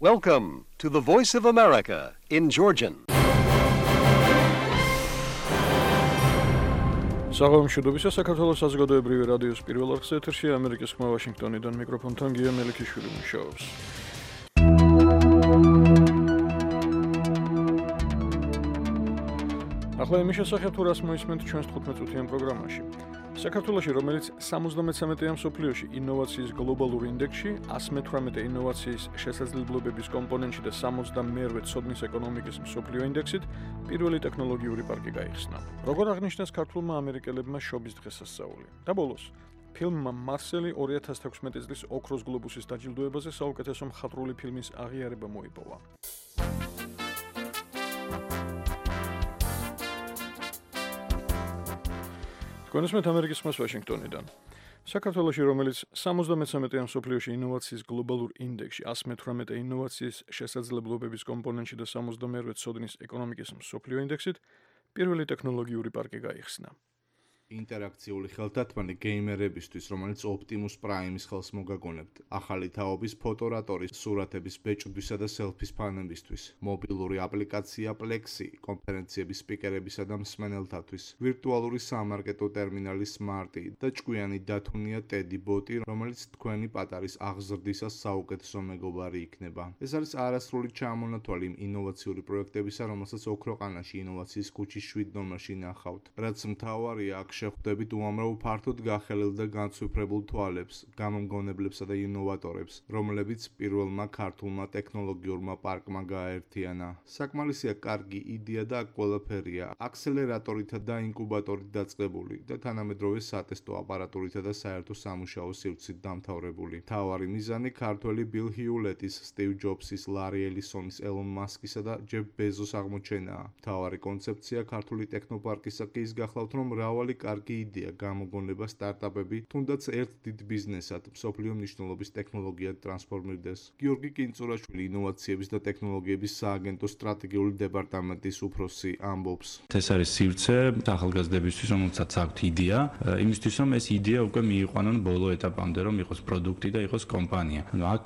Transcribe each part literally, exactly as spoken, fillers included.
Welcome to the Voice of America in Georgian. საღამოშუდობისა საქართველოს საზოგადოებრივი რადიოს პირველ არხზე ეთერში ამერიკის ხმა ვაშინგტონიდან მიკროფონთან გია მელიქიშვილი მუშაობს. ახლა იმის შესახებ თუ რას მოისმენთ ჩვენს თხუთმეტ-წუთიან პროგრამაში. საქართველოში, რომელიც სამოცდამეცამეტეა მსოფლიოში ინოვაციის გლობალურ ინდექსში, ასი მეთვრამეტე ინოვაციის შესაძლებლობების კომპონენტში და სამოცდამეერთე ცოდნის ეკონომიკის მსოფლიო ინდექსით, პირველი ტექნოლოგიური პარკი გაიხსნა. როგორ აღნიშნეს ქართულმა ამერიკელებმა შობის დღესასწაული. და ბოლოს, ფილმმა მარსელი ორი ათას თექვსმეტი წლის ოქროს გლობუსის დაჯილდოებაზე საუკეთესო მხატვრული ფილმის აღიარება მოიპოვა. გონესმეთ ამერიკის ხმას ვაშინგტონიდან. საქართველოში, რომელიც სამოცდამეცამეტეა მსოფლიოში ინოვაციის გლობალურ ინდექსში, ასი მეთვრამეტე ინოვაციის შესაძლებლობების კომპონენტში და სამოცდამეერთე ცოდნის ეკონომიკის მსოფლიო ინდექსით, პირველი ტექნოლოგიური პარკი გაიხსნა. ინტერაქციული ხელთათმანი გეიმერებისთვის, რომელიც Optimus Prime-ის ხელს მოგაგონებთ, ახალი თაობის ფოტორატორის, სურათების ბეჭდვისა და სელფის ფანებისთვის, მობილური აპლიკაცია Plexi, კონფერენციების სპიკერებისა და მსმენელთათვის, ვირტუალური სამარკეტო ტერმინალი Smarty და ჭკვიანი დათუნია Teddy Bot-ი, რომელიც თქვენი პატარის აღზრდისას საუკეთესო მეგობარი იქნება. ეს არის არასრული ჩამონათვალი იმ ინოვაციური პროექტებისა, რომელსაც ოქროყანაში ინოვაციის ქუჩის შვიდ ნომერში ნახავთ. რაც მთავარია, აქ შეხვდებით უამრავ ფართოდ გახელილ და განცვიფრებულ თვალებს, გამომგონებლებსა და ინოვატორებს, რომლებიც პირველმა ქართულმა ტექნოლოგიურმა პარკმა გააერთიანა. საკმარისია კარგი იდეა და აქ ყველაფერია, აქსელერატორითა და ინკუბატორით დაწყებული და თანამედროვე სატესტო აპარატურითა და საერთო სამუშაო სივრცით დამთავრებული. მთავარი მიზანი ქართველი ბილ ჰიულეტის, სტივ ჯობსის, ლარი ელისონის, ელონ მასკისა და ჯეფ ბეზოს აღმოჩენაა. მთავარი კონცეფცია ქართული ტექნოპარკისა კი ის გახლავთ, რომ მრავალი კარგი იდეა, გამოგონება, სტარტაპები, თუნდაც ერთ დიდ ბიზნესად, მსოფლიო მნიშვნელობის ტექნოლოგიად ტრანსფორმირდეს. გიორგი კინწურაშვილი, ინოვაციების და ტექნოლოგიების სააგენტოს სტრატეგიული დეპარტამენტის უფროსი ამბობს. ეს არის სივრცე ახალგაზრდებისთვის, რომელსაც აქვთ იდეა, იმისთვის, რომ ეს იდეა უკვე მიიყვანონ ბოლო ეტაპამდე, რომ იყოს პროდუქტი და იყოს კომპანია. ანუ აქ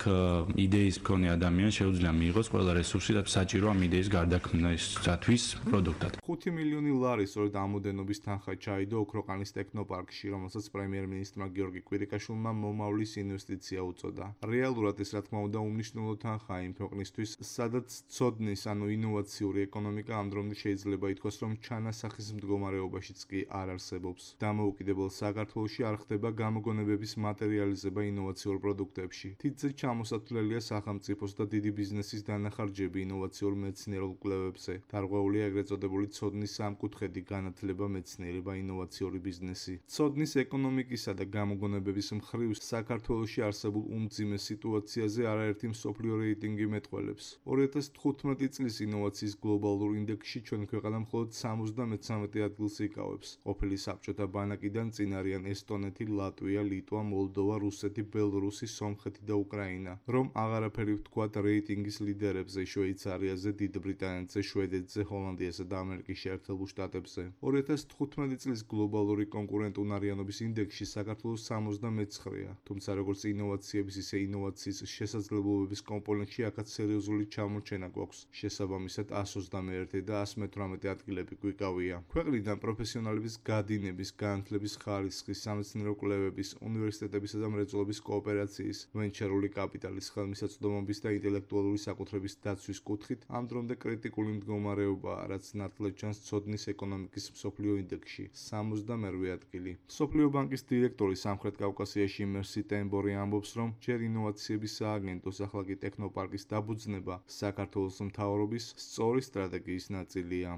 იდეის მქონე ადამიანს შეუძლია მიიღოს ყველა რესურსი და საჭირო ამ იდეის გარდაქმნისათვის პროდუქტად. ხუთი მილიონი ლარი სწორედ ამოდენობის თანხა ჩაიდო ოქროყანის ტექნოპარკში, რომელსაც პრემიერ-მინისტრმა გიორგი კვირიკაშვილმა მომავლის ინვესტიცია უწოდა. რეალურად ეს რა თქმა უნდა უმნიშვნელო თანხაა იმ ქვეყნისთვის, სადაც ცოდნის, ანუ ინოვაციური ეკონომიკა ამ დრომდე შეიძლება ითქვას, რომ ჩანასახის მდგომარეობაშიც კი არ არსებობს. დამოუკიდებელ საქართველოში არ ხდება გამოგონებების მატერიალიზება ინოვაციურ პროდუქტებში. თითზე ჩამოსათვლელია სახელმწიფოს და დიდი ბიზნესის დანახარჯები ინოვაციურ მეცნიერულ კვლევებზე. დარღვეულია ეგრეთ წოდებული ცოდნის სამკუთხედი განათლება, მეცნიერება, ინოვაციური ბიზნესი. ცოდნის ეკონომიკისა და გამოგონებების მხრივ საქართველოში არსებულ უმძიმე სიტუაციაზე არაერთი მსოფლიო რეიტინგი მეტყველებს. ორი ათას თხუთმეტი წლის ინოვაციის გლობალურ ინდექსში ჩვენი ქვეყანა მხოლოდ სამოცდამეცამეტე ადგილს იკავებს. ყოფილი საბჭოთა ბანაკიდან წინ არიან ესტონეთი, ლატვია, ლიტვა, მოლდოვა, რუსეთი, ბელორუსი, სომხეთი და უკრაინა. რომ აღარაფერი ვთქვათ რეიტინგის ლიდერებზე, შვეიცარიაზე, დიდ ბრიტანეთზე, შვედეთზე, ჰოლანდიასა და ამერიკის შეერთებულ შტატებზე. ორი ათას თხუთმეტი წლის გლობალური კონკურენტუნარიანობის ინდექსში საქართველოს სამოცდამეცხრეა, თუმცა როგორც ინოვაციების, ისე ინოვაციის შესაძლებლობების კომპონენტში აქაც სერიოზული ჩამორჩენა გვაქვს. შესაბამისად ასი ოცდამეერთე და ასი მეთვრამეტე ადგილები გვიკავია. ქვეყნიდან პროფესიონალების გადინების, განათლების ხარისხის, სამეცნიერო კვლევების, უნივერსიტეტებისა და მრეწველობის კოოპერაციის, ვენჩერული კაპიტალის, ხელმისაწვდომობის და ინტელექტუალური საკუთრების დაცვის კუთხით ამ დრომდე კრიტიკული მდგომარეობაა, რაც ნათლად ჩანს ცოდნის ეკონომიკის მსოფლიო ინდექსში. სამოცდამეერთე ადგილი. მსოფლიო ბანკის დირექტორი სამხრეთ კავკასიაში მერსი ტემბორი ამბობს, რომ ჯერ ინოვაციების სააგენტოს, ახლა კი ტექნოპარკის დაბუძნება საქართველოს მთავრობის სწორი სტრატეგიის ნაწილია.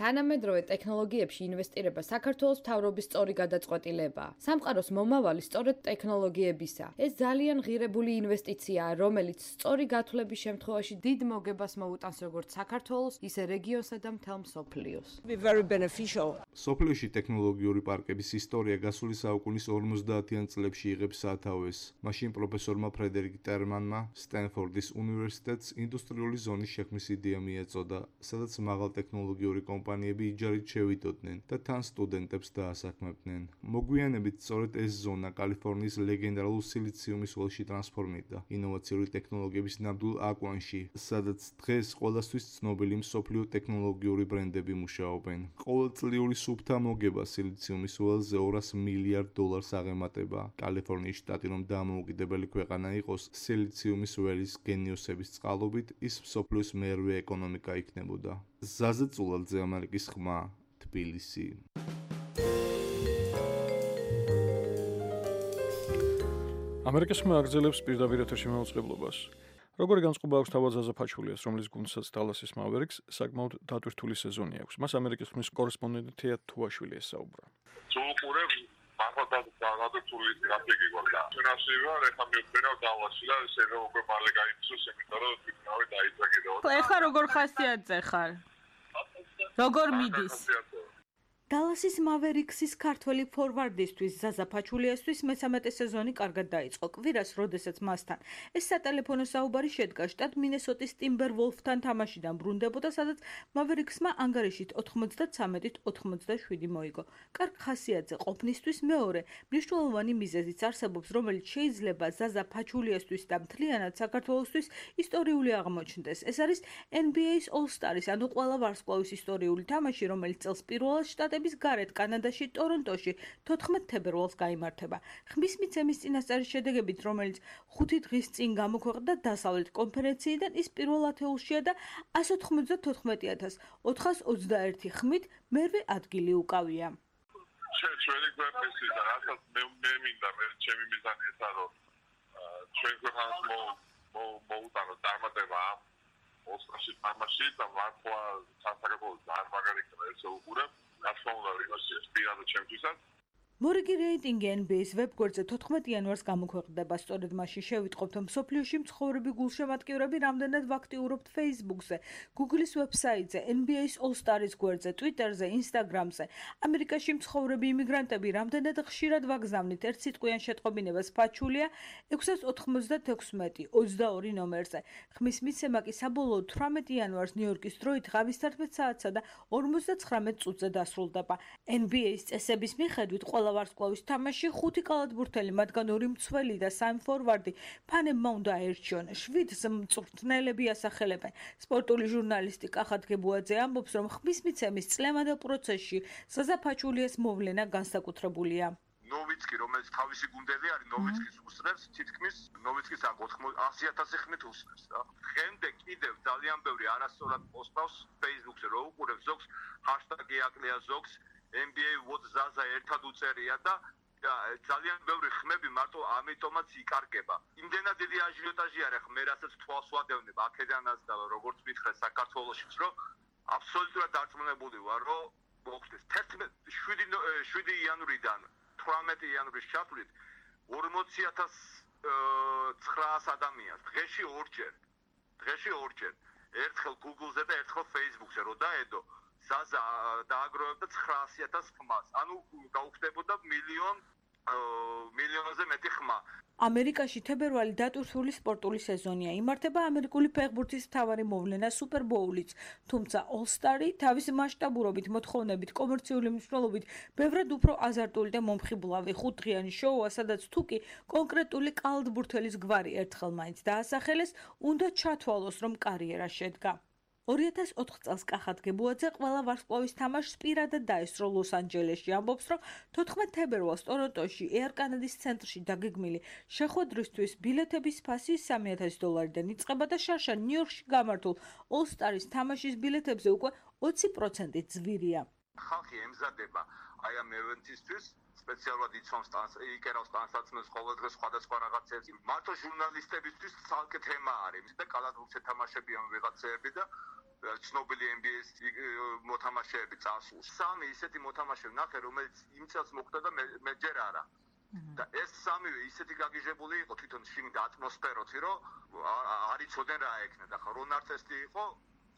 თანამედროვე ტექნოლოგიებში ინვესტირება საქართველოს მთავრობის სწორი გადაწყვეტილებაა. სამყაროს მომავალი სწორედ ტექნოლოგიებისა. ეს ძალიან ღირებული ინვესტიციაა, რომელიც სწორი გათვლების შემთხვევაში დიდ მოგებას მოუტანს როგორც საქართველოს, ისე რეგიონსა და მთელ მსოფლიოს. show. სოფლიოში ტექნოლოგიური პარკების ისტორია გასული საუკუნის ორმოცდაათიან წლებში იღებს სათავეს. მაშინ პროფესორმა ფრედერიკ ტერმანმა სტენფორდის უნივერსიტეტს ინდუსტრიული ზონის შექმნის იდეა მიეწოდა, სადაც მაღალტექნოლოგიური კომპანიები იჯარით შევიდოდნენ და თან სტუდენტებს დაასაქმებდნენ. მოგვიანებით სწორედ ეს ზონა კალიფორნიის ლეგენდარულ სილიციუმის ველში ტრანსფორმირდა ინოვაციური ტექნოლოგიების ნამდვილ აკვანში, სადაც დღეს ყველასთვის ცნობილი მსოფლიო ტექნოლოგიური ბრენდები მუშაობენ. ყოველწლიური სუფთა მოგება სილიციუმის ველზე ორას მილიარდ დოლარს აღემატება. კალიფორნიის შტატი რომ დამოუკიდებელი ქვეყანა იყოს სილიციუმის ველის გენიოსების წყალობით, ის მსოფლიოს მერვე ეკონომიკა იქნებოდა. ზაზე წულალძე, ამერიკის ხმა, თბილისი. ამერიკის ხმა აგრძელებს პირდაპირ ეთერში მაუწყებლობას. როგორი განწყობა აქვს თავად ზაზა ფაჩულიას, რომლის გუნდსაც დალასის Mavericks საკმაოდ დატვირთული სეზონი აქვს. მას ამერიკის ხმის კორესპონდენტი თეა თუაშვილი ესაუბრა. სულყურებს მართლაც დაგადებული გრაფიკი გვაქვს. ჩვენასივა ეხლა მივხვდით დალასში და შეიძლება უკვე მალე გაიწვიოს, იმიტომ რომ თვითნავე დაიძაგე და ეხლა როგორ ხასიათზე ხარ? როგორ მიდის? დალასის Mavericks-ის ქართველი ფორვარდისთვის ზაზა ფაჩულიასთვის მესამეტე სეზონი კარგად დაიწყო. კვირას, როდესაც მასთან ეს სატელეფონო საუბარი შედგა შტატ მინესოტის ტიმბერვოლფთან თამაშიდან ბრუნდებოდა, სადაც Mavericks-მა ანგარიშით ოთხმოცდათრამეტით ოცდაშვიდი მოიგო. კარგ ხასიათზე ყოფნისთვის მეორე მნიშვნელოვანი მიზეზიც არსებობს, რომელიც შეიძლება ზაზა ფაჩულიასთვის და მთლიანად საქართველოსთვის ისტორიული აღმოჩნდეს. ეს არის N B A-ის All-Star-ის, ანუ ყველა ვარსკვლავის ისტორიული თამაში, რომელიც წელს პირველად შტატ გარეთ კანადაში ტორონტოში თოთხმეტ თებერვალს გაიმართება. ხმის მიცემის წინასწარის შედეგებით, რომელიც ხუთი დღის წინ გამოქვეყნდა დასავლეთ კონფერენციიდან, ის პირველ ათეულშია და εκατს ოთხმოცდათოთხმეტი ათას ოთხას ოცდაერთი ხმით მერვე ადგილი უკავია. ჩვენი ქვეყნის და რასაც მე მე მინდა მე ჩემი მიზანი ესა რომ ჩვენ ქვეყანას მოუტანო წარმატება ამ ოსტარში თამაში და მართლა საქართველოს ძალიან მაგარი ხდება ეს უყურებ. მორიგი რეიტინგი N B A-ის ვებგვერდზე თოთხმეტ იანვარს გამოქვეყნდება. სწორედ მაშინ შევიტყობთ, რომ მსოფლიოში მცხოვრები გულშემატკივრები რამდენად ვაქტიურობთ Facebook-ზე, Google-ის ვებსაიტზე, N B A-ის All-Star-ის გვერდზე, Twitter-ზე, Instagram-ზე. ამერიკაში მცხოვრები იმიგრანტები რამდენად ხშირად ვაგზავნით ერთ სიტყვიან შეტყობინებას ფაჩულია ექვსას ოთხმოცდათექვსმეტი ოცდაორი ნომერზე. ხმის მიცემა კი საბოლოოდ თვრამეტი იანვარს ნიუ-იორკის დროით ღამის თერთმეტ საათსა და ორმოცდაცხრამეტ წუთზე დასრულდება. N B A-ის წესების მიხედვით ყველა ვარსკვლავის თამაში ხუთი კალათბურთელი, მათგან ორი მცველი და სამი ფორვარდი ფანებმა უნდა აერჩიონ. შვიდს მწვრთნელები ასახელებენ. სპორტული ჟურნალისტი კახათ გებუაძე ამბობს, რომ ხმის მიცემის წლევანდელ პროცესში ზაზა ფაჩულიას მოვლენა განსაკუთრებულია. ნოვიცკი, რომელიც თავისი გუნდელი არის, ნოვიცკის უსწრებს, თითქმის ნოვიცკის ასი ათასი ხმით უსწრებს და დღემდე კიდევ ძალიან ბევრი არასწორად პოსტავს Facebook-ზე, რო უყურებს ზოგს ჰაშტაგი აკლია ზოგს N B A what Zaza ერთად უწერია და ძალიან ბევრი ხმები მარტო ამიტომაც იკარგება. იმდენად დიდი აჟიოტაჟი არის ხმე, რასაც თვალს ვადევნებ აქედანაც და როგორც მითხრეს საქართველოშიც, რომ აბსოლუტურად დარწმუნებული ვარ, რომ მოხდეს შვიდი იანვრიდან თვრამეტი იანვრის ჩათვლით ორმოცი ათას ცხრაას ადამიანს დღეში ორჯერ. დღეში ორჯერ. ერთხელ Google-ზე და ერთხელ Facebook-ზე რო დაედო ზაზა დააგროვებდა ცხრაასი ათას ხმას. ანუ გაუხდებოდა მილიონ მილიონზე მეტი ხმა. ამერიკაში თებერვალი დატვირთული სპორტული სეზონია. იმართება ამერიკული ფეხბურთის მთავარი მოვლენა Super Bowl-იც, თუმცა All-Star-ი თავის მასშტაბურობით, მოთხოვნებით, კომერციული მნიშვნელობით ბევრად უფრო აზარტული და მომხიბლავი ხუთდღიანი შოუა, სადაც თუკი კონკრეტული კალათბურთელის გვარი ერთხელ მაინც დაასახელეს, უნდა ჩათვალოს, რომ კარიერა შედგა. ორი ათას ოთხ წელს კახათ გებუაძე ყველა ვარსკვლავის თამაშს პირადად დაესწრო ლოს-ანჯელესში. ამბობს, რომ თოთხმეტ თებერვალს ტორონტოში Air Canada-ის ცენტრში დაგეგმილი შეხვედრისთვის ბილეთების ფასი სამი ათასი დოლარიდან იწყება და შარშან ნიუ-იორკში გამართულ All-Star-ის თამაშის ბილეთებზე უკვე ოცი პროცენტით ძვირია. ხალხი ემზადება აი ამ ევენთისთვის სპეციალურად იცავს იკერავს ტანსაცმელს ყოველდღე სხვადასხვა რაღაცებს. მარტო ჟურნალისტებისთვის ცალკე თემა არის და კალათბურთს ეთამაშებიან ვიღაცეები და ცნობილი N B A-ის მოთამაშეები წასულს. სამი ისეთი მოთამაშე ნახე, რომელიც იმ წელს მოხდა და მე ჯერ არა. და ეს სამივე ისეთი გაგიჟებული იყო თვითონ შინ და ატმოსფეროთი, რომ არ იცოდნენ რა ეკნა და ხა რონ არცესტი იყო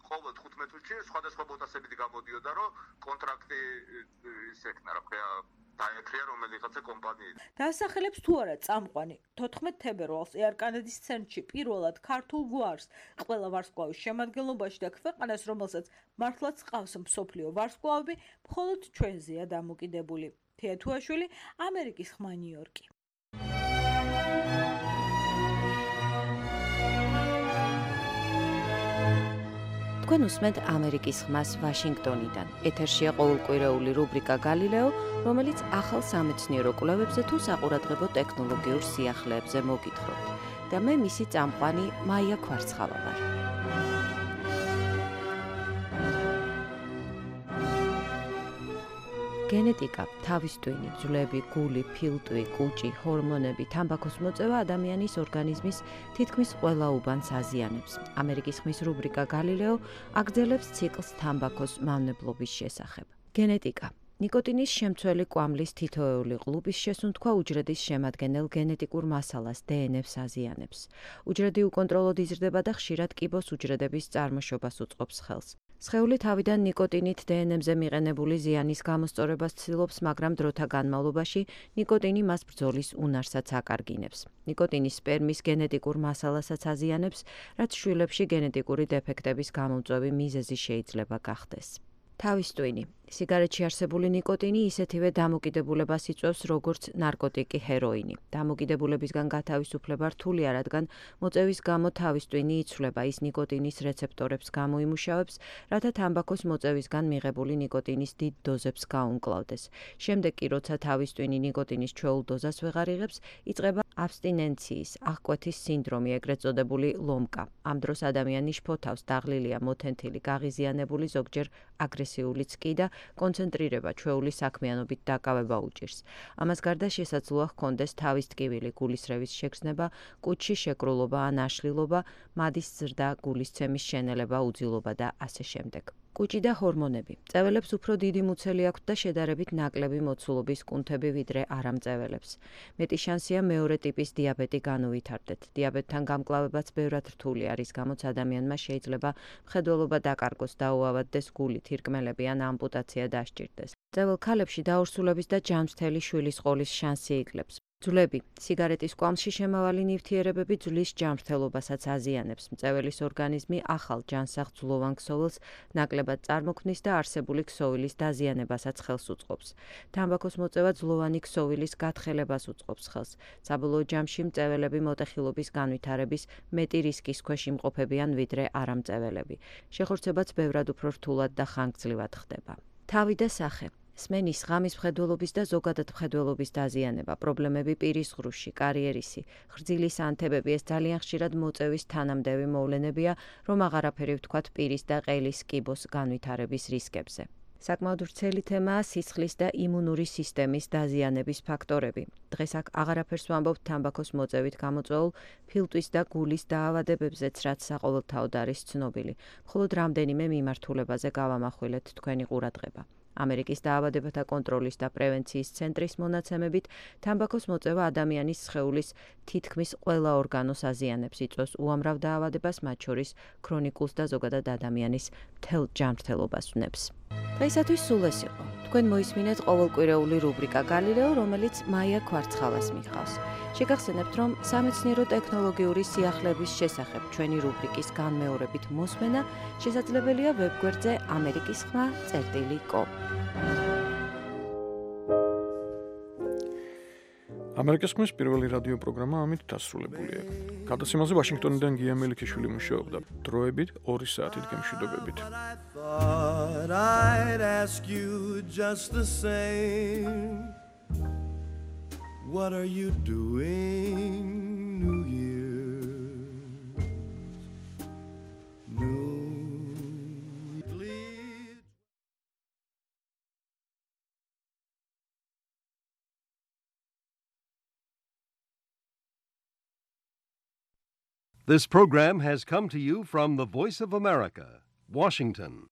ხოლო თხუთმეტ წუთში სხვადასხვა ბოტასებით გამოდიოდა, რომ კონტრაქტი ის ეკნა, რა ქვია, დაეთრია რომელიღაცა კომპანიით. დაასახელებს თუ არა წამყვანი თოთხმეტ თებერვალს Air Canada-ის ცენტრში პირველად ქართულ გვარს ყველა ვარსკვლავის შემადგენლობაში და ქვეყანას, რომელსაც მართლაც ყავს მსოფლიო ვარსკვლავები, მხოლოდ ჩვენზეა დამოკიდებული. თეა თუაშვილი, ამერიკის ხმა ნიუ-იორკი. თქვენ უსმენთ ამერიკის ხმას ვაშინგტონიდან. ეთერშია ყოველკვირეული რუბრიკა გალილეო, რომელიც ახალ სამეცნიერო კვლევებზე თუ საყურადღებო ტექნოლოგიურ სიახლეებზე მოგითხრობთ. და მე მისი წამყვანი მაია ქვარცხავა ვარ. გენეტიკა, თავის ტვინი, ძვლები, გული, ფილტვი, კუჭი, ჰორმონები, თამბაქოს მოწევა ადამიანის ორგანიზმის თითქმის ყველა უბანს აზიანებს. ამერიკის ხმის რუბრიკა გალილეო აგრძელებს ციკლს თამბაქოს მავნებლობის შესახებ. გენეტიკა. ნიკოტინის შემცველი კვამლის თითოეული ყლუპის შესუნთქვა უჯრედის შემადგენელ გენეტიკურ მასალას დე ენ ეს აზიანებს. უჯრედი უკონტროლოდ იზრდება და ხშირად კიბოს უჯრედების წარმოშობას უწყობს ხელს. სხეული თავიდან ნიკოტინით დე ენ ემზე მიყენებული ზიანის გამოსწორებას ცდილობს, მაგრამ დროთა განმავლობაში ნიკოტინი მას ბრძოლის უნარსაც აკარგინებს. ნიკოტინის სპერმის გენეტიკურ მასალასაც აზიანებს, რაც შვილებში გენეტიკური დეფექტების გამომწვევი მიზეზი შეიძლება გახდეს. თავის ტვინი. სიგარეტში არსებული ნიკოტინი ისეთივე დამოკიდებულებას იწვევს, როგორც ნარკოტიკი ჰეროინი. დამოკიდებულებისგან გათავისუფლება რთულია, რადგან მოწევის გამო თავის ტვინი იცვლება, ის ნიკოტინის რეცეპტორებს გამოიმუშავებს, რათა თამბაქოს მოწევისგან მიღებული ნიკოტინის დიდ დოზებს გაუმკლავდეს. შემდეგ კი, როცა თავის ტვინი ნიკოტინის ჩვეულ დოზას ვეღარ იღებს, იწყება აბსტინენციის, აღკვეთის სინდრომი, ეგრეთ წოდებული ლომკა. ამ დროს ადამიანი შფოთავს, დაღლილია, მოთენთილი, გაღიზიანებული, ზოგჯერ აგრესიულიც კი და კონცენტრირება ჩვეული საქმიანობით დაკავება უჭირს. ამას გარდა შესაძლოა ჰქონდეს თავის ტკივილი, გულისრევის შეგრძნება, კუჭში შეკრულობა ან აშლილობა, მადის ზრდა, გულისცემის შენელება, უძილობა და ასე შემდეგ. კუჭი და ჰორმონები. წეველებს უფრო დიდი მუცელი აქვთ და შედარებით ნაკლები მოცულობის კუნთები ვიდრე არამწეველებს. მეტი შანსია მეორე ტიპის დიაბეტი განუვითარდეთ. დიაბეტთან გამკლავებაც ბევრად რთულია, რის გამოც ადამიანმა შეიძლება მხედველობა დაკარგოს, დაუავადდეს გული, თირკმელები ან ამპუტაცია დასჭირდეს. წეվել ქალებში დაორსულების და ჯანმრთელი შვილის ყოლის შანსი იკლებს. ძვლები. სიგარეტის კვამლში შემავალი ნივთიერებები ძვლის ჯანმრთელობასაც აზიანებს. მწეველის ორგანიზმი ახალ ჯანსაღ ძვლოვან ქსოვილს ნაკლებად წარმოქმნის და არსებული ქსოვილის დაზიანებასაც ხელს უწყობს. თამბაქოს მოწევა ძვლოვანი ქსოვილის გათხელებას უწყობს ხელს. საბოლოო ჯამში მწეველები მოტეხილობის განვითარების მეტი რისკის ქვეშ იმყოფებიან ვიდრე არამწეველები. შეხორცებაც ბევრად უფრო რთულად და ხანგრძლივად ხდება. თავი და სახე. სმენის, ღამის მხედველობის და ზოგადად მხედველობის დაზიანება, პრობლემები პირის ღრუში, კარიერისი, ხრძილის ანთებები, ეს ძალიან ხშირად მოწევის თანამდევი მოვლენებია, რომ აღარაფერი ვთქვათ პირის და ყელის კიბოს განვითარების რისკებზე. საკმაოდ ვრცელი თემაა სისხლის და იმუნური სისტემის დაზიანების ფაქტორები. დღეს აქ აღარაფერს ვამბობთ თამბაქოს მოწევით გამოწვეულ ფილტვის და გულის დაავადებებზეც, რაც საყოველთაოდ არის ცნობილი. მხოლოდ რამდენიმე მიმართულებაზე გავამახვილეთ თქვენი ყურადღება. ამერიკის დაავადებათა კონტროლის და პრევენციის ცენტრის მონაცემებით, თამბაქოს მოწევა ადამიანის სხეულის თითქმის ყველა ორგანოს აზიანებს, იწვევს უამრავ დაავადებას, მათ შორის ქრონიკულს და ზოგადად ადამიანის მთელ ჯანმრთელობას ვნებს. დღეისათვის სულ ეს იყო. თქვენ მოისმინეთ ყოველკვირეული რუბრიკა გალილეო, რომელიც მაია ქვარცხავას მიჰყავს. შეგახსენებთ, რომ სამეცნიერო ტექნოლოგიური სიახლეების შესახებ ჩვენი რუბრიკის განმეორებით მოსმენა შესაძლებელია ვებგვერდზე ამერიკის ხმა წერტილი კომ. ამერიკის ხმის პირველი რადიო პროგრამა ამით დასრულებულია. გადაცემაზე ვაშინგტონიდან გია მელიქიშვილი მუშაობდა. დროებით ორი საათით გემშვიდობებით. What are you doing, New Year? New Year. This program has come to you from the Voice of America, Washington.